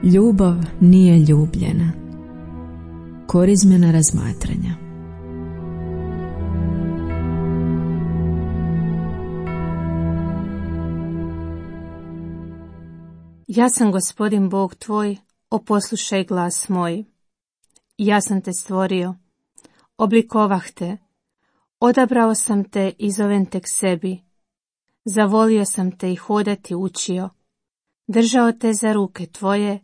Ljubav nije ljubljena. Korizmena razmatranja. Ja sam Gospodin Bog tvoj, poslušaj glas moj. Ja sam te stvorio, oblikovah te, odabrao sam te i zovem te k sebi. Zavolio sam te i hodati učio, držao te za ruke tvoje,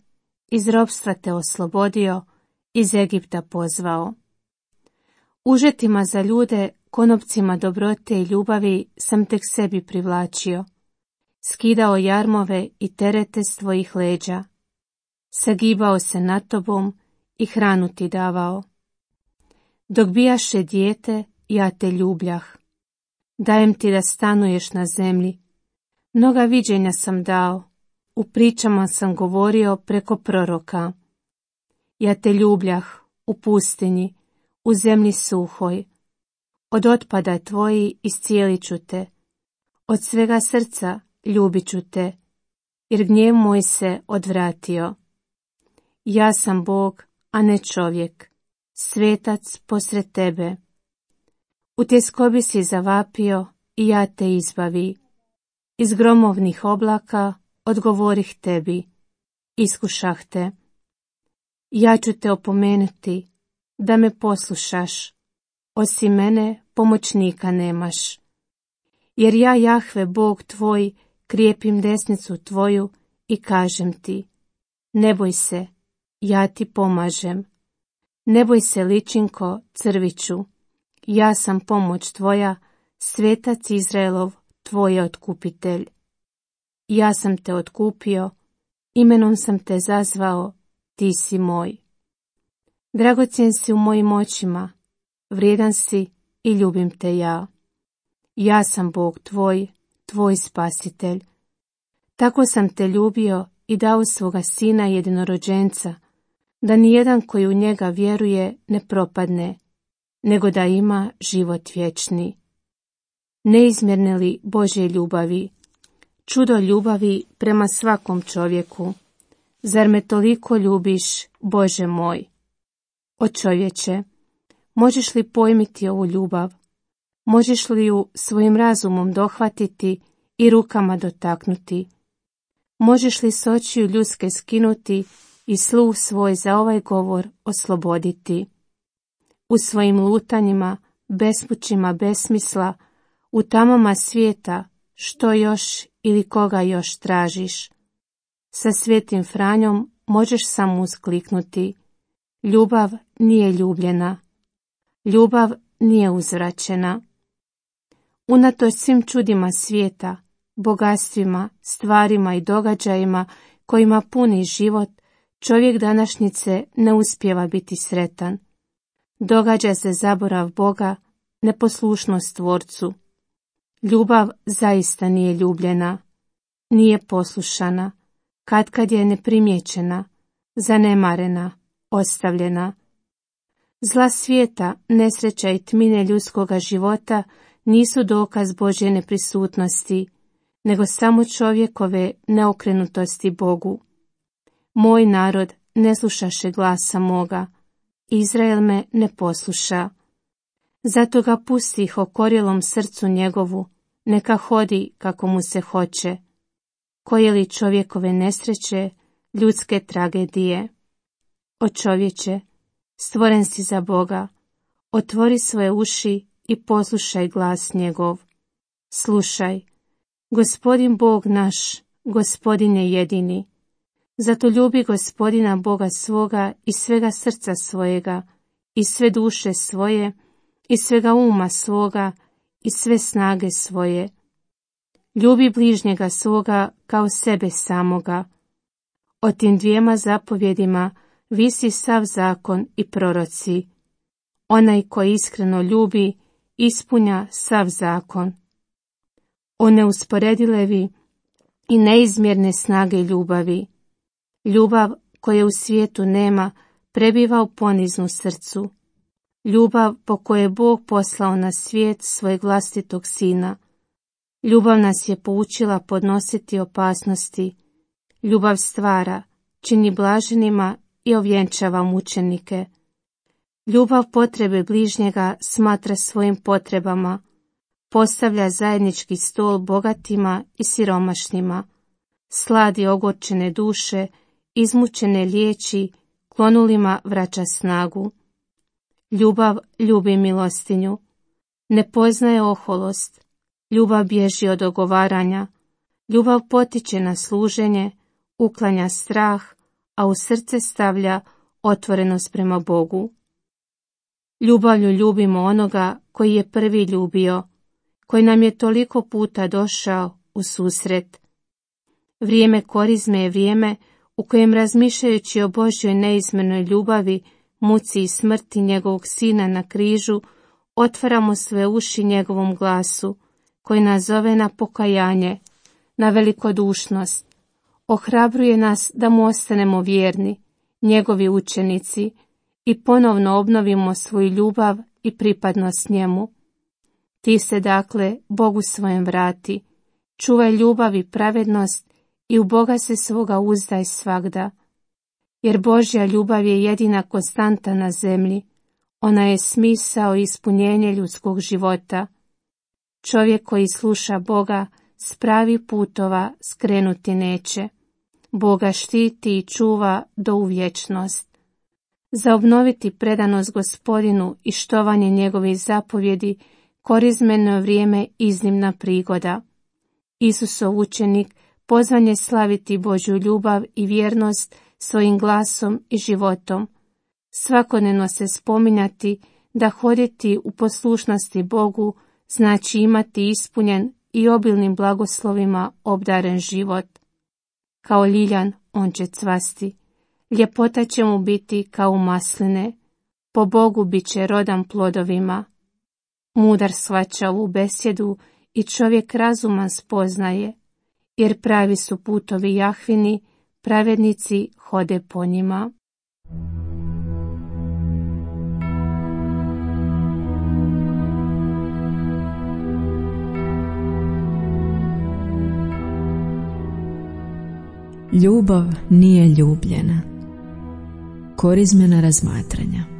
iz ropstva te oslobodio, iz Egipta pozvao. Užetima za ljude, konopcima dobrote i ljubavi sam te k sebi privlačio, skidao jarmove i terete s tvojih leđa, sagibao se nad tobom i hranu ti davao. Dok bijaše dijete, ja te ljubljah, dajem ti da stanuješ na zemlji. Mnoga viđenja sam dao, u pričama sam govorio preko proroka. Ja te ljubljah u pustinji, u zemlji suhoj. Od otpada tvoji iscijelit ću te, od svega srca ljubit ću te, jer gnjev moj se odvratio. Ja sam Bog, a ne čovjek, svetac posred tebe. U tjeskobi si zavapio i ja te izbavi. Iz gromovnih oblaka odgovorih tebi, iskušah te. Ja ću te opomenuti da me poslušaš, osim mene pomoćnika nemaš. Jer ja, Jahve, Bog tvoj, krijepim desnicu tvoju i kažem ti, ne boj se, ja ti pomažem. Ne boj se, ličinko, crviću, ja sam pomoć tvoja, svetac Izraelov, tvoj otkupitelj. Ja sam te otkupio, imenom sam te zazvao, ti si moj. Dragocjen si u mojim očima, vrijedan si i ljubim te ja. Ja sam Bog tvoj, tvoj spasitelj. Tako sam te ljubio i dao svoga sina jedinorođenca, da nijedan koji u njega vjeruje ne propadne, nego da ima život vječni. Neizmjerne li Božje ljubavi, čudo ljubavi prema svakom čovjeku, zar me toliko ljubiš, Bože moj? O čovječe, možeš li pojmiti ovu ljubav? Možeš li ju svojim razumom dohvatiti i rukama dotaknuti? Možeš li s očiju ljudske skinuti i sluh svoj za ovaj govor osloboditi? U svojim lutanjima, bespućima besmisla, u tamama svijeta, što još ili koga još tražiš? Sa Svetim Franjom možeš samo uskliknuti. Ljubav nije ljubljena. Ljubav nije uzvraćena. Unatoč svim čudima svijeta, bogatstvima, stvarima i događajima kojima puni život, čovjek današnjice ne uspijeva biti sretan. Događa se zaborav Boga, neposlušnost Tvorcu. Ljubav zaista nije ljubljena, nije poslušana, katkad je neprimjećena, zanemarena, ostavljena. Zla svijeta, nesreća i tmine ljudskoga života nisu dokaz Božje neprisutnosti, nego samo čovjekove neokrenutosti Bogu. Moj narod ne slušaše glasa moga, Izrael me ne posluša. Zato ga pustih okorjelom srcu njegovu, neka hodi kako mu se hoće. Koje li čovjekove nesreće, ljudske tragedije? O čovječe, stvoren si za Boga, otvori svoje uši i poslušaj glas njegov. Slušaj, Gospodin Bog naš, Gospodin je jedini. Zato ljubi Gospodina Boga svoga i svega srca svojega, i sve duše svoje, i svega uma svoga, i sve snage svoje. Ljubi bližnjega svoga kao sebe samoga. O tim dvijema zapovjedima visi sav zakon i proroci. Onaj koji iskreno ljubi, ispunja sav zakon. O neusporedilevi i neizmjerne snage ljubavi. Ljubav koje u svijetu nema, prebiva u poniznu srcu. Ljubav po kojoj je Bog poslao na svijet svojeg vlastitog sina. Ljubav nas je poučila podnositi opasnosti. Ljubav stvara, čini blaženima i ovjenčava mučenike. Ljubav potrebe bližnjega smatra svojim potrebama, postavlja zajednički stol bogatima i siromašnima, sladi ogorčene duše, izmučene liječi, klonulima vraća snagu. Ljubav ljubi milostinju, ne poznaje oholost, ljubav bježi od ogovaranja, ljubav potiče na služenje, uklanja strah, a u srce stavlja otvorenost prema Bogu. Ljubavlju ljubimo onoga koji je prvi ljubio, koji nam je toliko puta došao u susret. Vrijeme korizme je vrijeme u kojem, razmišljajući o Božjoj neizmjernoj ljubavi, muci i smrti njegovog sina na križu, otvaramo sve uši njegovom glasu, koji nas zove na pokajanje, na velikodušnost. Ohrabruje nas da mu ostanemo vjerni, njegovi učenici, i ponovno obnovimo svoju ljubav i pripadnost njemu. Ti se dakle Bogu svojem vrati, čuvaj ljubav i pravednost i u Boga se svoga uzdaj svagda. Jer Božja ljubav je jedina konstanta na zemlji, ona je smisao i ispunjenje ljudskog života. Čovjek koji sluša Boga s pravih putova skrenuti neće. Boga štiti i čuva do u vječnost. Za obnoviti predanost Gospodinu i štovanje njegovih zapovjedi korizmeno je vrijeme iznimna prigoda. Isusov učenik pozvan je slaviti Božju ljubav i vjernost svojim glasom i životom. Svakodnevno se spominjati da hoditi u poslušnosti Bogu znači imati ispunjen i obilnim blagoslovima obdaren život. Kao ljiljan on će cvasti, ljepota će mu biti kao masline, po Bogu bit će rodan plodovima. Mudar shvaća ovu besjedu i čovjek razuman spoznaje, jer pravi su putovi Jahvini, pravednici hode po njima. Ljubav nije ljubljena. Korizmena razmatranja.